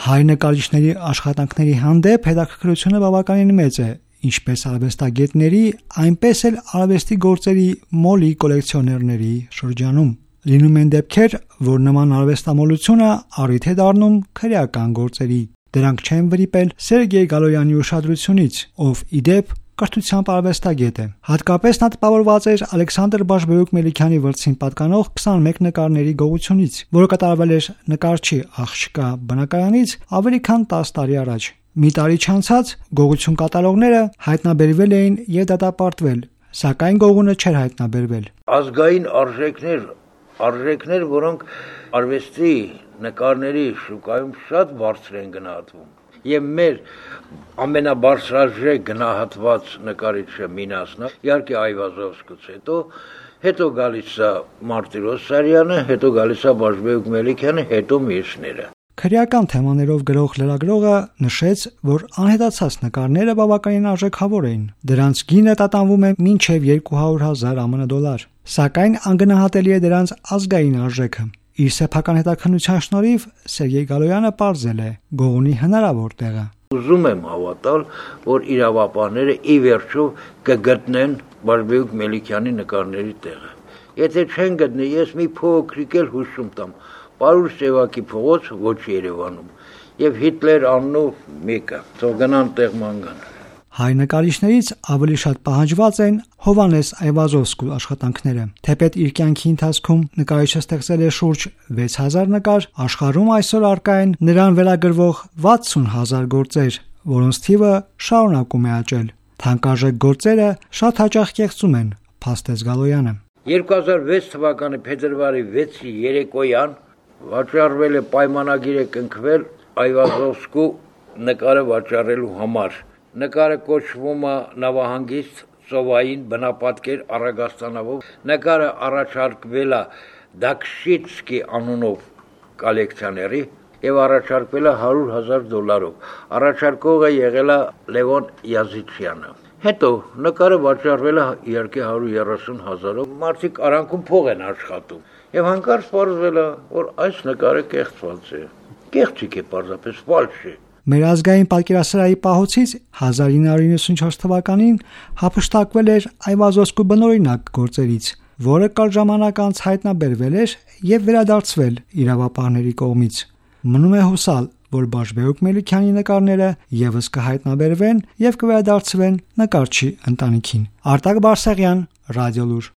Հայ նկարիչների աշխատանքների հանդեպ հետաքրքրությունը բավականին մեծ է, ինչպես արվեստագետների, այնպես էլ արվեստի գործերի մոլի կոլեկցիոներների շրջանում։ Լինում են դեպքեր, որ նման արվեստամոլությունը առիթ է դառնում քրեական գործերի։ Դրանք չեն վրիպել Սերգեյ Գալոյանի ուշադրությունից, ով ի դեպ կրթությամբ արվեստագետ է։ Հատկապես նա տպավորված էր Ալեքսանդր Բաշբեուկ Մելիքյանի վրցին պատկանող 21 նկարների գողությունից, որը կատարվել էր նկարչի աղջկա բնակարանից ավելի քան 10 տարի առաջ։ Մի տարի չանցած գողություն կատարողները հայտնաբերվել էին եւ դատապարտվել, սակայն գողունը չէր հայտնաբերվել։ Ազգային արժեքներ, որոնք արվեստի նկարների շուկայում շատ բարձր են գնահատվում։ Եվ մեր ամենաբարձրաժեք գնահատված նկարիչը Մինասն է, իհարկե Այվազովսկուց հետո գալիս է Մարտիրոս Սարյանը, հետո գալիս է Բաշբեուկ Մելիքյանը, հետո մյուսները։ Քրեական թեմաներով գրող լրագրողը նշեց, որ անհետացած նկարները բավականին արժեքավոր էին։ Դրանց գինը տատանվում է մինչև 200,000 ԱՄՆ, սակայն անգնահատելի է դրանց ազգային արժեքը։ Իր սեփական հետաքննության շնորհիվ Սերգեյ Գալոյանը պարզել է գողունի հնարավոր տեղը։ Ուզում եմ հավատալ, որ իրավապահները ի վերջո կգտնեն Բաշբեուկ Մելիքյանի նկարների տեղը։ Եթե չեն գտնի, ես մի փոքրիկ էլ հուշում տամ։ Պարուր Սևակի փողոց ոչ Երևանում եւ Հիտլեր անունով մեկը, թող գնան տեղման գան։ Հայ նկարիչներից ավելի շատ պահանջված են Հովանես Այվազովսկու աշխատանքները։ Թեպետ իր կյանքի ընթացքում նկարիչը ստեղծել է շուրջ 6000 նկար, աշխարհում այսօր առկա են նրան վերագրվող 60,000 գործեր, որոնց թիվը շարունակում է աճել։ Թանկարժեք գործերը շատ հաճախ կեղծում են, փաստեց Գալոյանը։ 2006 թվականի փետրվարի 6-ի երեկոյան վաճառվել է պայմանագիր է կնքվել Այվազովսկու նկարը վաճառելու համար։ Նկարը կոչվում է Նավահանգիստ ծովային բնապատկեր Արագաստանով։ Նկարը առաջարկվել է Դաքշիցկի անունով կոլեկցիոների եւ առաջարկվել է $100,000։ Առաջարկողը եղել է Լևոն Յազիչյանը։ Հետո նկարը վաճառվել է իհարկե 130,000-ով։ Մարդիկ արանքում փող են աշխատում եւ հանկարծ պարզվել է, որ այս նկարը կեղծված է։ Կեղծիք է պարզապես ֆալշ է։ Մեր ազգային պատկերասրահի պահոցից 1994 թվականին հափշտակվել էր Այվազովսկու բնօրինակ գործերից, որը կարճ ժամանակ անց հայտնաբերվել էր եւ վերադարձվել իրավապահների կողմից։ Մնում է հուսալ, որ Բաշբեուկ Մելիքյանի նկարները եւս կհայտնաբերվեն եւ կվերադարձվեն նկարչի ընտանիքին։ Արտակ Բարսեղյան, Ռադիոլուր։